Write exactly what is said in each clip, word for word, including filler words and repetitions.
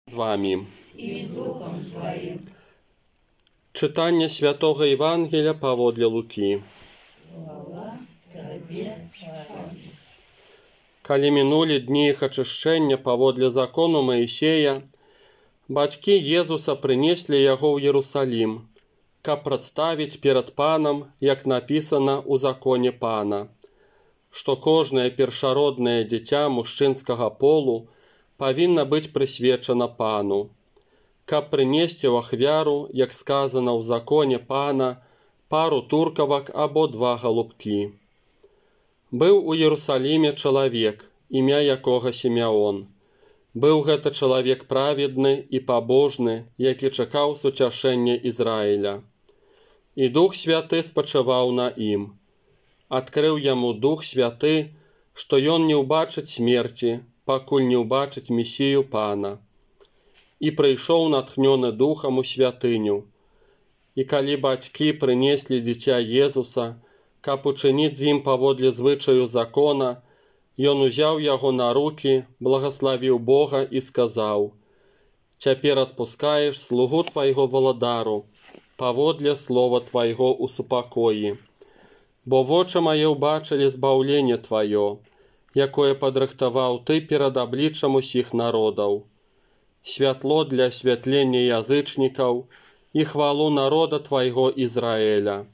з вами. І з Духом Твоїм. Читання Святого Євангелія паводле Луки. Слава Тобі, Господи. Калі мінулі дні іх ачышчэння паводле закону Маісея, бацькі Езуса прынеслі яго ў Єрусалім, каб прадставіць перад панам, як напісана ў законе пана, што кожнае першароднае дзіця мужчынскага полу павінна быць прысвечана пану, каб прынесці ў ахвяру, як сказана ў законе пана, пару туркавак або два галубкі. Быў у Єрусаліме чалавек, імя якога Сімеон. Быў гэта чалавек праведны і пабожны, які чакаў суцяшэння Ізраіля. І Дух Святы спачываў на ім. Адкрыў яму Дух Святы, што ён не ўбачыць смерці, пакуль не ўбачыць Месію пана. І прыйшоў натхнёны Духам у святыню. І калі бацькі прынеслі дзіця Езуса, каб учыніць з ім паводле звычаю закона, ён узяў яго на рукі, благаславіў Бога і сказаў: «Цяпер адпускаеш слугу твайго валадару, паводле слова твайго ў супакоі. Бо вочы мае ўбачылі збаўленне тваё, якое падрыхтаваў ты перад абліччам усіх народаў. Святло для асвятлення язычнікаў і хвалу народа твайго Ізраэля».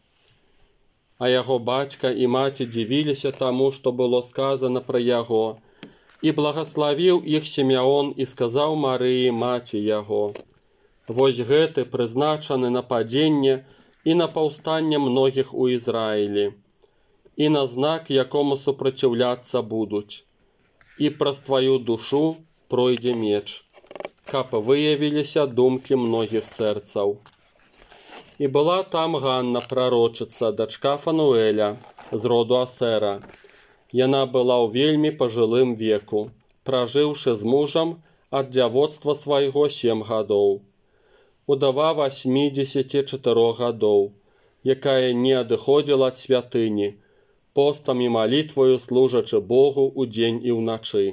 А яго бацька і маці дзівіліся таму, што было сказана пра яго, і благаславіў іх Сімеон і сказаў Марыі, маці яго: «Вось гэты прызначаны на падзенне і на паўстанне многіх у Ізраілі, і на знак, якому супраціўляцца будуць. І праз тваю душу пройдзе меч, каб выявіліся думкі многіх сэрцаў». І была там Ганна, прарочыца, дачка Фануэля, з роду Асера. Яна была ў вельмі пажылым веку, пражыўшы з мужам ад дзявоцтва свайго сем гадоў. Удава васьмідзесяці чатырох гадоў, якая не адыходзіла ад святыні, постам і малітваю служачы Богу ўдзень і ўначы.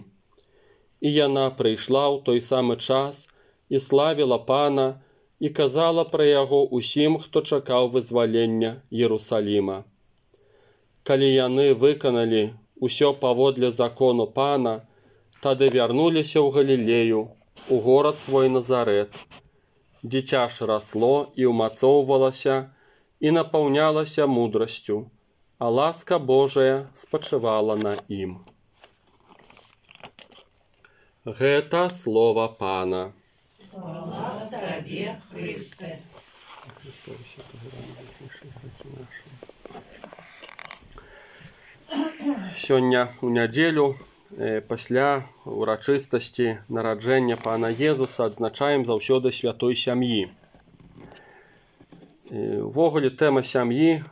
І яна прыйшла ў той самы час і славіла пана, і казала пра яго ўсім, хто чакаў вызвалення Єрусаліма. Калі яны выканалі ўсё паводле закону пана, тады вярнуліся ў Галілею, у горад свой Назарэт. Дзіця ж расло і ўмацоўвалася і напаўнялася мудрасцю, а ласка Божая спачывала на ім. Гэта слова пана. Слава Тобі, Христе. Сёння ў нядзелю, пасля урачыстасці нараджэння пана Езуса, адзначаем заўсёды святой сям'і. Увогуле тэма сям'і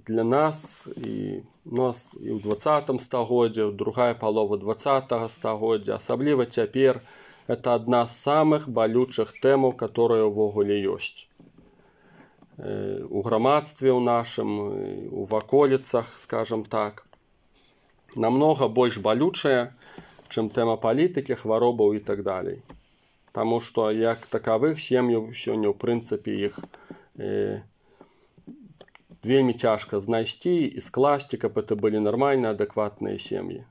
для нас і нас і ў дваццатым стагоддзі, другая палова дваццатага стагоддзя, асабліва цяпер, это одна з самых балючых тэмаў, которые ўвогуле ёсць. У грамадстве ў нашым, у ваколіцах, скажем так, намнога больш балючая, чым тэма палітыкі, хваробаў і так далей. Таму што як такавых сем'яў сёння, ў прынцыпе, іх э, вельмі цяжка знайсці і скласці, каб это былі нармальныя, адэкватныя сем'і.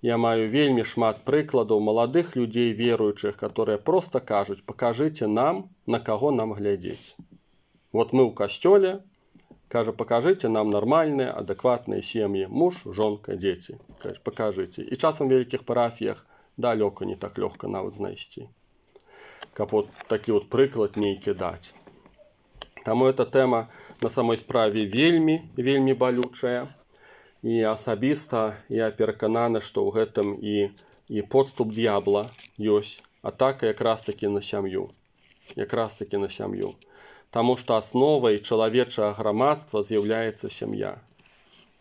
Я маю вельмі шмат прыкладаў маладых людзей веруючых, которые просто кажуць: «Пакажыце нам, на каго нам глядзець. Вот мы ў касцёле, кажа, пакажыце нам нармальныя, адэкватныя сем'і, муж, жонка, дзеці. Кажа, пакажыце». І часам в вялікіх парафіях далёка не так лёгка нават знайсці, каб вот такі вот прыклад нейкі даць. Таму эта тэма на самой справе вельмі, вельмі балючая. І асабіста я перакананы, што ў гэтым і, і подступ д'ябла ёсць, атака якраз такі на сям'ю. Якраз такі на сям'ю. Таму што асновай чалавечага грамадства з'яўляецца сям'я.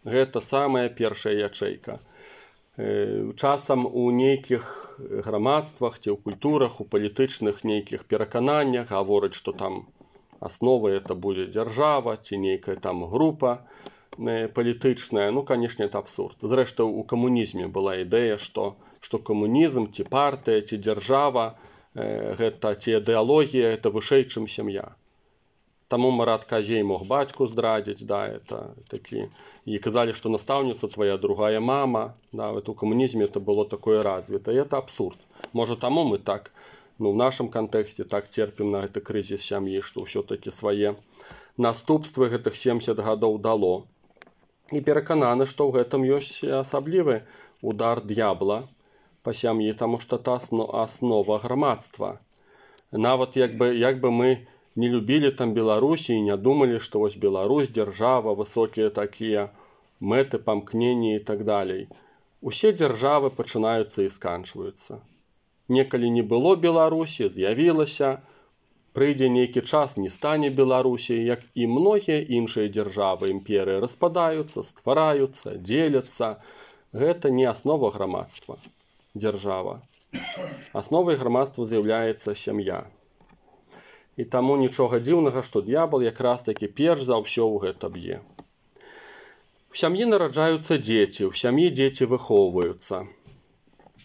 Гэта самая першая ячэйка. Э, часам у нейкіх грамадствах ці ў культурах, у палітычных нейкіх перакананнях гавораць, што там асновай это будзе дзяржава ці нейкая там група палітычная. Ну, канешне, это абсурд. Зрэшты, у камунізме была ідэя, што, што камунізм ці партыя ці дзяржава э, гэта ці ідэалогія, это вышэй, чым сям'я. Таму Марат Казей мог бацьку здрадзіць, да, это такі. І казалі, што настаўніца твоя другая мама, да, вот у камунізме это было такое развіта, і это абсурд. Можа, таму мы так, ну, в нашым кантэксце так церпім на гэты крызіс сям'і, што ўсё-такі свае наступствы гэтых семдзесят гадоў дало. І перакананы, што ў гэтым ёсць асаблівы удар д'ябла па сям'і, таму што это аснова грамадства. Нават як бы, як бы мы не любілі там Беларусі і не думалі, што вось Беларусь, дзяржава, высокія такія мэты, памкненні і так далей. Усе дзяржавы пачынаюцца і сканчваюцца. Некалі не было Беларусі, з'явілася, прыйдзе нейкі час, не стане Беларусі, як і многія іншыя дзяржавы, імперыі распадаюцца, ствараюцца, дзеляцца. Гэта не аснова грамадства, дзяржава. Асновай грамадства з'яўляецца сям'я. І таму нічога дзіўнага, што д'ябал якраз такі перш за ўсё ў гэта б'е. У сям'і нараджаюцца дзеці, у сям'і дзеці выхоўваюцца.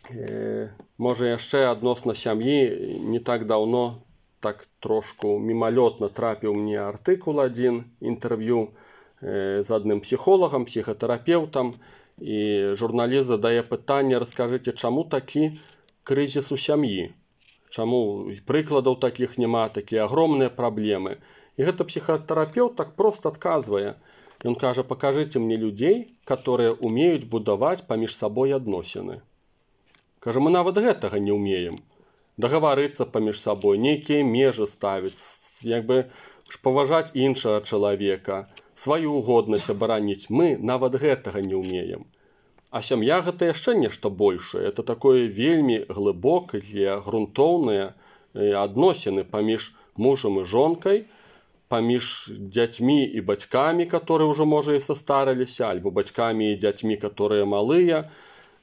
Э, можа, яшчэ адносна сям'і не так даўно, так трошку мімалётна трапіў мне артыкул адзін, інтэрв'ю э, з адным псіхолагам, псіхатэрапеўтам, і журналіст задае пытанне: раскажыце, чаму такі крызіс у сям'і? Чаму прыкладаў такіх няма, такія агромныя праблемы? І гэта псіхатэрапеўт так проста адказвае. Ён кажа: пакажыце мне людзей, которые умеюць будаваць паміж сабой адносіны. Кажа, мы нават гэтага не ўмеем. Дагаварыцца паміж сабой, нейкія межы ставіць, як бы паважаць іншага чалавека, сваю годнасць абараніць. Мы нават гэтага не ўмеем. А сям'я гэта яшчэ нешта большае. Это такое вельмі глыбокае, грунтоўныя адносіны паміж мужам і жонкай, паміж дзяцьмі і бацькамі, которые ўжо, можа, і састарыліся, альбо бацькамі і дзяцьмі, которые малыя.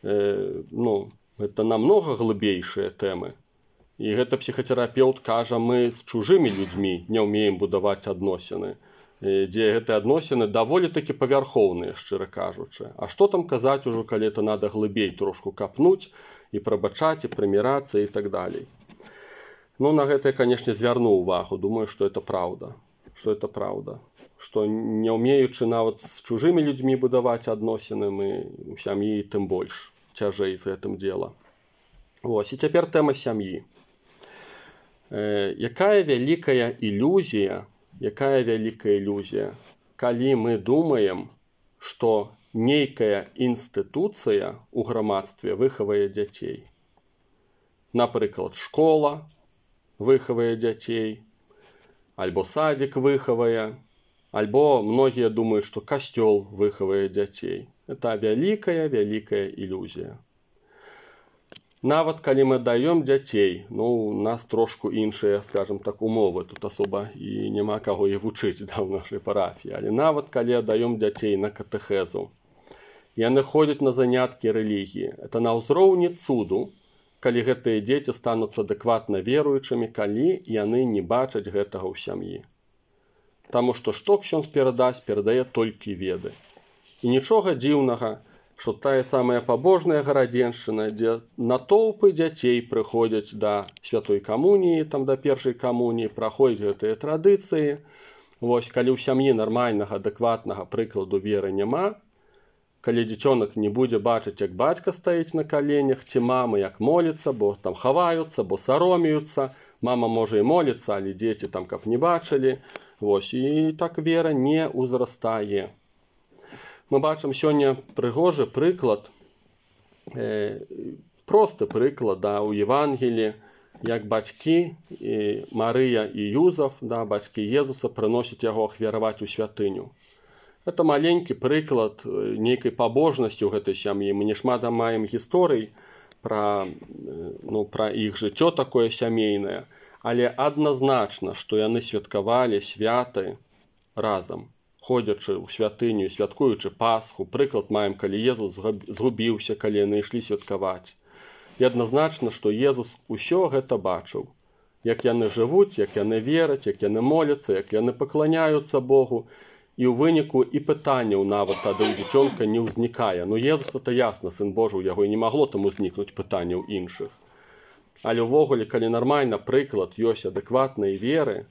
Э, ну, гэта намнога глыбейшыя тэмы. І гэта псіхатэрапеўт кажа: мы з чужымі людзьмі не ўмеем будаваць адносіны, дзе гэтыя адносіны даволі такі павярхоўныя, шчыра кажучы. А што там казаць ужо, калі это надо глыбей трошку капнуць і прабачаць, і прымірацца і так далей. Ну, на гэта я, канешне, звярну ўвагу. Думаю, што это праўда. Што это праўда. Што не ўмеючы нават з чужымі людзьмі будаваць адносіны, мы у сям'і тым больш цяжэй з гэтым дзела. Вось, і цяпер тэма сям'і. Э, якая вялікая ілюзія, якая вялікая ілюзія, калі мы думаем, што нейкая інстытуцыя ў грамадстве выхавае дзяцей. Напрыклад, школа выхавае дзяцей, альбо садик выхавае, альбо многія думаюць, што касцёл выхавае дзяцей. Это вялікая, вялікая ілюзія. Нават калі мы даём дзяцей, ну, у нас трошку іншыя, скажем так, умовы, тут асоба і няма каго і вучыць, да, ў нашай парафіі, але нават калі даём дзяцей на катэхезу, яны ходзяць на заняткі рэлігіі. Это на ўзроўні цуду, калі гэтыя дзеці стануцца адэкватна веруючымі, калі яны не бачаць гэтага ў сям'і. Таму што што ксёндз перадасць, перадае толькі веды. І нічога дзіўнага, што тая самая пабожная гарадзеншчына, дзе натоўпы дзяцей прыходзяць да святой камуніі, там да першай камуніі, праходзяць гэтыя традыцыі. Вось, калі ў сям'і нармальнага, адэкватнага прыкладу веры няма, калі дзіцёнак не будзе бачыць, як бацька стаіць на каленях, ці мама як моліцца, бо там хаваюцца, бо саромеюцца, мама можа і моліцца, але дзеці там каб не бачылі. Вось, і так вера не ўзрастае. Мы бачым сёння прыгожы прыклад, э, просты прыклад, да, у Евангелі, як бацькі і Марыя і Юзаф, да, бацькі Езуса, прыносяць яго ахвяраваць у святыню. Это маленькі прыклад нейкай пабожнасці ў гэтай сям'і. Мы не шмат маем гісторый пра, ну, пра іх жыццё такое сямейнае, але адназначна, што яны святкавалі святы разам, ходзячы ў святыню, святкуючы Пасху. Прыклад маем, калі Езус згубіўся, калі яны ішлі святкаваць. І адназначна, што Езус усё гэта бачыў. Як яны жывуць, як яны вераць, як яны моляцца, як яны пакланяюцца Богу. І ў выніку і пытанняў нават тады ў дзіцёнка не ўзнікае. Ну, Езус, это ясна, Сын Божы, у яго і не магло там узнікнуць пытанняў іншых. Але ўвогуле, калі нармальна прыклад ёсць адэкватнай веры,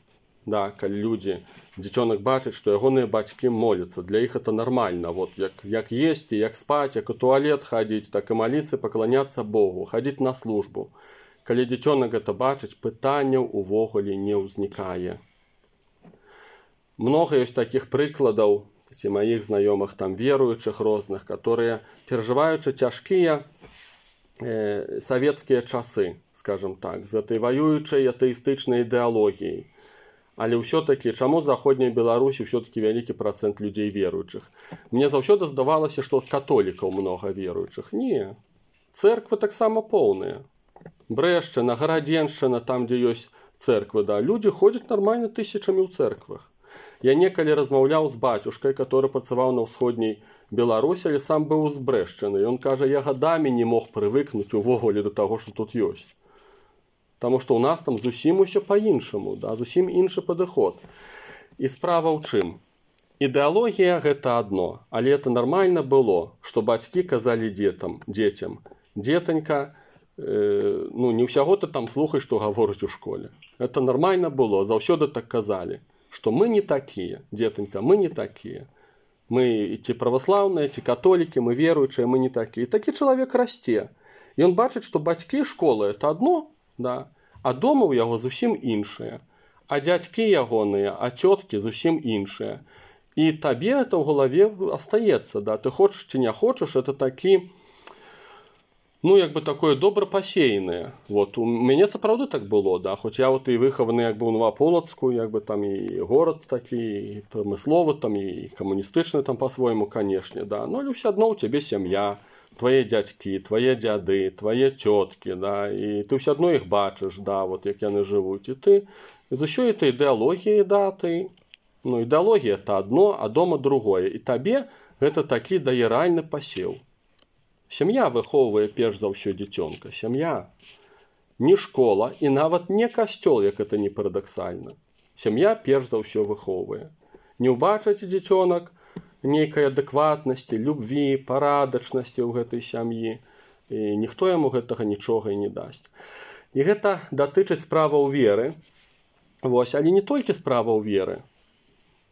да, калі людзі, дзіцёнак бачыць, што ягоныя бацькі моляцца, для іх это нармальна. Вот, як, як есці, як спаць, як у туалет хадзіць, так і маліцца, пакланяцца Богу, хадзіць на службу. Калі дзіцёнак гэта бачыць, пытанняў увогуле не ўзнікае. Много ёсць такіх прыкладаў, ці маіх знаёмых там веруючых розных, которые перажываючы цяжкія э, савецкія часы, скажем так, з этой ваюючай атэістычнай ідэалогіяй. Але ўсё-такі, чаму заходняй Беларусі ўсё-такі вялікі працэнт людзей веруючых? Мне заўсёды здавалася, што католікаў многа веруючых. Не. Цэрквы таксама поўныя. Брэшчына, Гарадзеншчына, там, дзе ёсць цэрквы, да, людзі ходзяць нармальна тысячамі ў цэрквах. Я некалі размаўляў з бацюшкай, который працаваў на ўсходняй Беларусі, але сам быў з Брэшчыны. Ён кажа, я гадамі не мог прывыкнуць увогуле да таго, што тут ёсць. Таму што ў нас там зусім усё па-іншаму, да, зусім іншы падыход. І справа ў чым? Ідэалогія гэта адно, але это нармальна было, што бацькі казалі дзетам, дзецям, дзетанька, э, ну не ўсяго ты там слухай, што гаворыць у школе. Это нармальна было, заўсёды так казалі, што мы не такія, дзетанька, мы не такія. Мы ці праваслаўныя, ці католікі, мы веруючыя, мы не такія. І такі чалавек расце. Ён бачыць, што бацькі і школа это адно, да, а дома ў яго зусім іншыя, а дзядзькі ягоныя, а цёткі зусім іншыя. І табе это ў галаве астаецца, да, ты хочаш ці не хочаш, это такі, ну, як бы такое добра пасеянае. Вот, у мяне сапраўды так было, да, хоць я вот і выхаваны як бы ў Новаполацку, як бы там і горад такі, і прамысловы, там і камуністычны там па-свойму, канешне, да, но ўсё адно ў цябе сям'я, твае дзядзькі, твае дзяды, твае цёткі, да, і ты ўсё адно іх бачыш, да, вот як яны жывуць, і ты з усёй этой ідэалогіяй, да, ты, ну, ідэалогія это адно, а дома другое, і табе гэта такі дае рэальны пасеў. Сям'я выхоўвае перш за ўсё дзіцёнка, сям'я, не школа і нават не касцёл, як это не парадаксальна. Сям'я перш за ўсё выхоўвае. Не ўбачыць дзіцёнак нейкай адэкватнасці, любві, парадачнасці ў гэтай сям'і. І ніхто яму гэтага нічога і не дасць. І гэта датычыць справаў веры. Вось, але не толькі справаў веры.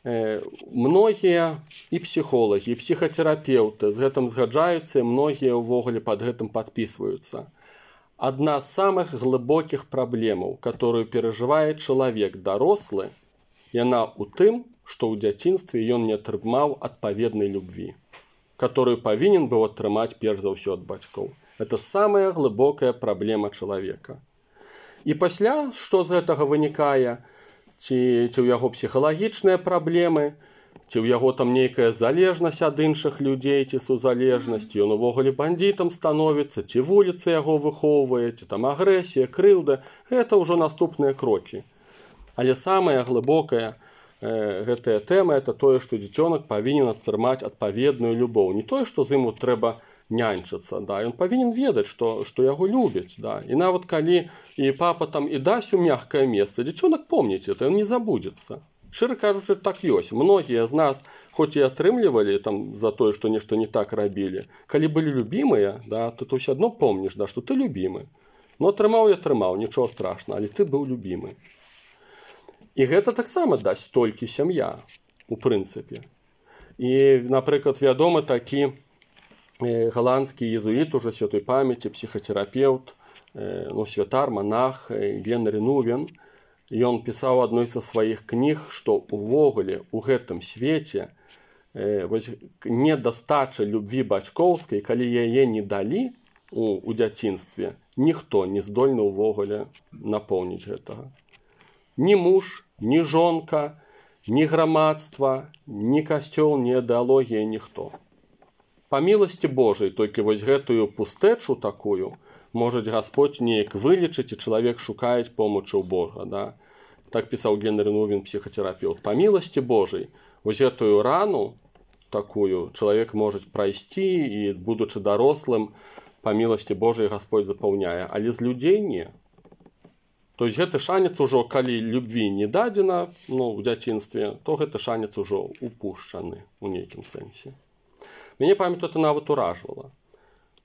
Э, многія і псіхолагі, і псіхатэрапеўты з гэтым згаджаюцца, і многія ўвогуле пад гэтым падпісваюцца. Адна з самых глыбокіх праблемаў, которую перажывае чалавек дарослы, яна ў тым, што ў дзяцінстве ён не атрымаў адпаведнай любві, которую павінен быў атрымаць перш за ўсё ад бацькоў. Это самая глыбокая праблема чалавека. І пасля, што з гэтага вынікае, ці, ці ў яго псіхалагічныя праблемы, ці ў яго там нейкая залежнасць ад іншых людзей, ці сузалежнасць, ён увогуле бандітам становіцца, ці вуліца яго выхоўвае, ці там агрэсія, крыўда, гэта ўжо наступныя крокі. Але самая глыбокая э, гэтая тэма это тое, што дзіцёнак павінен атрымаць адпаведную любоў. Не тое, што з ім трэба няньчыцца, да, ён павінен ведаць, што, што яго любяць, да. І нават калі і папа там і дасць у мягкае месца, дзіцёнак помніць это, ён не забудзецца. Шчыра кажучы, так ёсць. Многія з нас, хоць і атрымлівалі там за тое, што нешта не так рабілі, калі былі любімыя, да, то ты ўсё адно помніш, да, што ты любімы. Ну, атрымаў і атрымаў, нічого страшна, але ты быў любімы. І гэта таксама дасць толькі сям'я, у прынцыпе. І, напрыклад, вядомы такі э, галандскі езуіт, ужо святой памяці, псіхатэрапеўт, э, ну, святар, монах э, Генрі Нувен. Ён пісаў адной са сваіх кніг, што увогуле ў гэтым свеце э, вось, недастача любві бацькоўскай, калі яе не далі у, у дзяцінстве, ніхто не здольны ўвогуле напоўніць гэтага. Ні муж, ні жонка, ні грамадства, ні касцёл, ні ідэалогія, ніхто. Па міласці Божай, толькі вось гэтую пустэчу такую можа Гасподь неяк вылечыць, і чалавек шукае помачы ў Бога. Да? Так пісаў Генрі Нувен, псіхатэрапеўт. Па міласці Божай, вось гэтую рану такую чалавек можа прайсці, і, будучы дарослым, па міласці Божай Гасподь запаўняе, але з людзей не. То есть гэты шанец ужо, калі любві не дадзена, ну, ў дзяцінстве, то гэты шанец ужо упушчаны у нейкім сэнсе. Мяне, памятаю, это нават уражвала.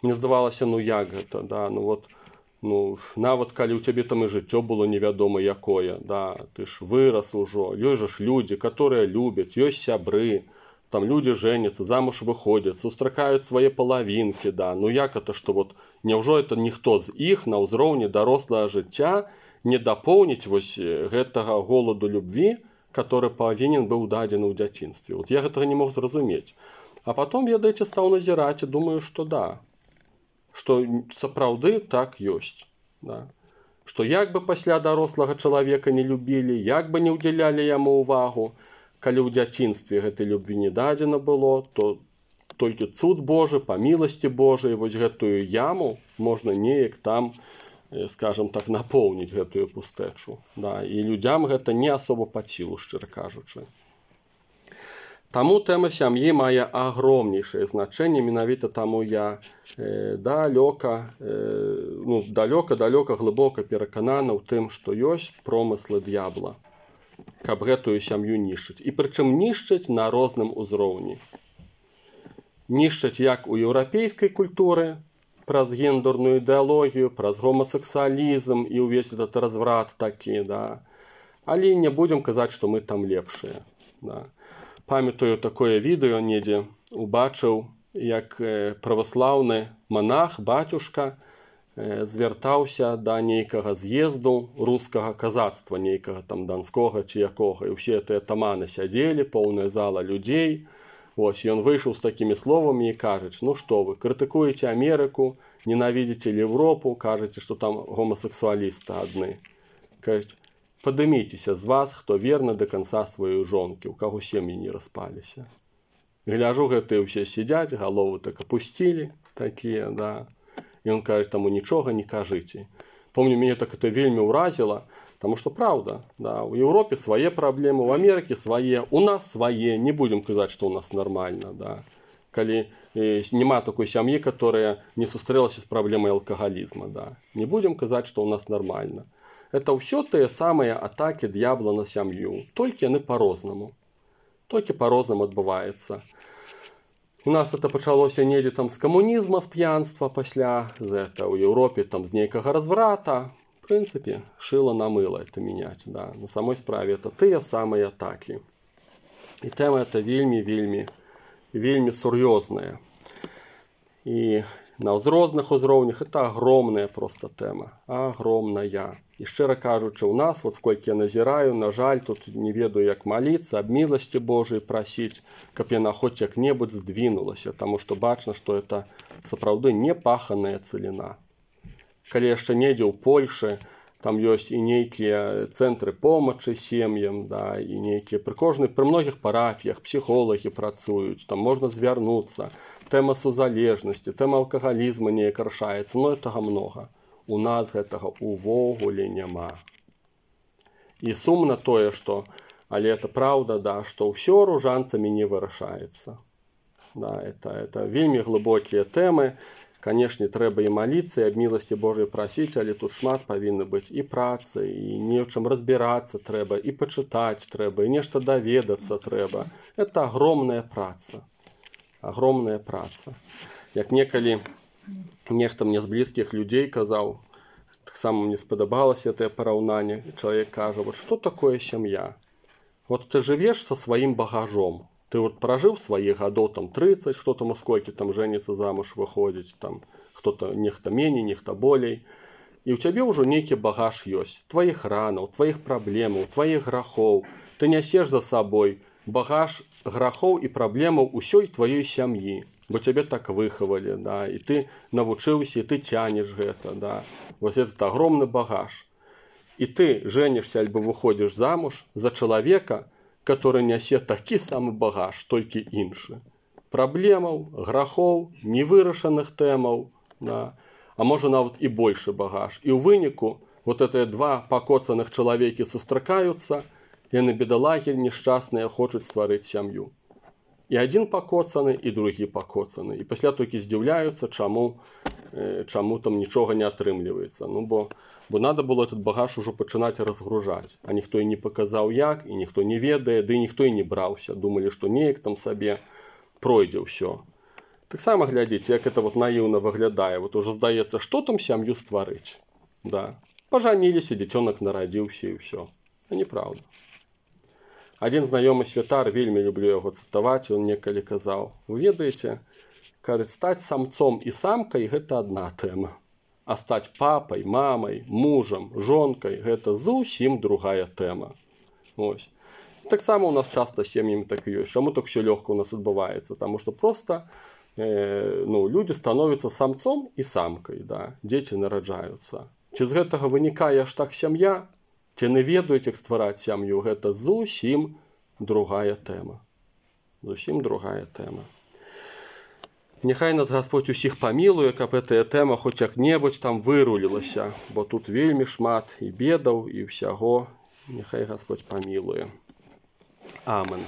Мне здавалася, ну як гэта, да, ну вот, Ну, нават калі ў цябе там і жыццё было невядома якое, да, ты ж вырас ужо, ёсць жа ж людзі, которые любяць, ёсць сябры, там людзі жэняцца, замуж выходзяць, сустракаюць свае палавінкі, да, ну як это, што вот, няўжо это ніхто з іх на ўзроўні дарослага жыцця не дапоўніць вось гэтага голаду любві, который павінен быў дадзены ў дзяцінстве. Вот я гэтага не мог зразумець. А потом, ведаеце, стаў назіраць і думаю, што да, што сапраўды так ёсць. Да. Што як бы пасля дарослага чалавека не любілі, як бы не ўдзялялі яму ўвагу, калі ў дзяцінстве гэтай любві не дадзена было, то толькі цуд Божы, па міласці Божай, вось гэтую яму можна неяк там, скажем так, напоўніць гэтую пустэчу. Да. І людзям гэта не асоба пад сілу, шчыра кажучы. Таму тэма сям'і мае агромнейшае значэнне, менавіта таму я э, далёка, э, ну, далёка-далёка глыбока перакананы ў тым, што ёсць промыслы д'ябла, каб гэтую сям'ю нішчыць. І прычым нішчыць на розным узроўні. Нішчыць як у еўрапейскай культуры, праз гендерную ідэалогію, праз гомасексуалізм і ўвесь этот разврат такі, да. Але не будзем казаць, што мы там лепшыя, да. Памятаю такое відэо недзе убачыў, як праваслаўны манах, бацюшка, звяртаўся да нейкага з'езду рускага казацтва, нейкага там данскога ці якога. І ўсе тыя таманы сядзелі, поўная зала людзей. Вось, ён выйшаў з такімі словамі і кажуць: ну што вы, крытыкуеце Амерыку, ненавідзіце Европу, кажаце, што там гомасексуалісты адны. Кажуць: падыміцеся з вас, хто верны да канца сваёй жонкі, у каго сем'і не распаліся. Гляжу, гэтыя ўсе сядзяць, галовы так апусцілі, такія, да. І ён кажа, таму нічога не кажыце. Помню, мяне так это вельмі ўразіла, таму што праўда, да, у Еўропе свае праблемы, у Амерыкі свае, у нас свае, не будзем казаць, што ў нас нармальна, да. Калі э, няма такой сям'і, которая не сустрэлася з праблемай алкагалізма, да. Не будзем казаць, што ў нас нармальна. Это ўсё тыя самыя атакі д'ябла на сям'ю, толькі яны па-рознаму. Толькі па-рознаму адбываецца. У нас это пачалося недзе там з камунізма, з п'янства, пасля з это ў Еўропе там з нейкага разврата. В прынцыпе, шыла на мыла это мяняць, да. На самой справе это тыя самыя атакі. І тэма это вельмі, вельмі, вельмі сур'ёзная. І на розных узроўнях это агромная проста тэма, агромная. І шчыра кажучы, у нас, вот сколькі я назіраю, на жаль, тут не ведаю, як маліцца, аб міласці Божай прасіць, каб яна хоць як-небудзь здвінулася, таму што бачна, што это сапраўды непаханая цэліна. Калі яшчэ недзе ў Польшы, там ёсць і нейкія цэнтры помачы сем'ям, да, і нейкія пры кожнай, пры многіх парафіях псіхолагі працуюць, там можна звярнуцца, тэма сузалежнасці, тэма алкагалізма неяк рашаецца, но гэтага многа. У нас гэтага увогуле няма. І сумна тое, што, але это праўда, да, што ўсё ружанцамі не вырашаецца. Да, это, это вельмі глыбокія тэмы. Канешне, трэба і маліцца, і аб міласці Божай прасіць, але тут шмат павінна быць і працы, і не ў чым разбірацца трэба, і пачытаць трэба, і нешта даведацца трэба. Это агромная праца. Агромная праца. Як некалі нехта мне з блізкіх людзей казаў, таксама мне спадабалася гэтае параўнанне, чалавек кажа: вот што такое сям'я? Вот ты жывеш са сваім багажом. Ты вот пражыў свае гадоў там трыццаць, хто там у сколькі там жэніцца замуж выходзіць, там хто-то нехта меней, нехта болей. І ў цябе ўжо нейкі багаж ёсць. Тваіх ранаў, тваіх праблемаў, тваіх грахоў. Ты нясеш за сабой багаж грахоў і праблемаў усёй тваёй сям'і. Бо цябе так выхавалі, да, і ты навучыўся, і ты цянеш гэта, да. Вось этот агромны багаж. І ты жэнішся альбо выходзіш замуж за чалавека, который нясе такі самы багаж, толькі іншы. Праблемаў, грахоў, невырашаных тэмаў, да, а можа нават і большы багаж. І ў выніку вот гэтыя два пакоцаных чалавекі сустракаюцца, яны бедалагі нешчасныя хочуць стварыць сям'ю. І адзін пакоцаны, і другі пакоцаны. І пасля толькі здзіўляюцца, чаму, э, чаму там нічога не атрымліваецца. Ну, бо, бо надо было этот багаж ужо пачынаць разгружаць. А ніхто і не паказаў як, і ніхто не ведае, ды ніхто і не браўся. Думалі, што неяк там сабе пройдзе ўсё. Таксама глядзіце, як это вот наіўна выглядае. Вот ужо здаецца, што там сям'ю стварыць. Да. Пожаніліся, дзіцёнак нарадзіўся і ўсё. А неправда. Адзін знаёмы святар, вельмі люблю яго цытаваць, ён некалі казаў: вы ведаеце, кажуць, стаць самцом і самкай гэта адна тэма, а стаць папай, мамай, мужам, жонкай гэта зусім другая тэма. Ось. Таксама у нас часта з сем'ямі так і ёсць. Чаму так ўсё лёгка у нас адбываецца? Таму што проста э, ну, людзі становяцца самцом і самкай, да? Дзеці нараджаюцца. Ці з гэтага вынікае аж так сям'я? Ці не ведаюць, як ствараць сям'ю? Гэта зусім другая тэма. Зусім другая тэма. Няхай нас Гасподзь усіх памілуе, каб гэтая тэма хоць як-небудзь там вырулілася, бо тут вельмі шмат і бедаў, і ўсяго. Няхай Гасподзь памілуе. Амен.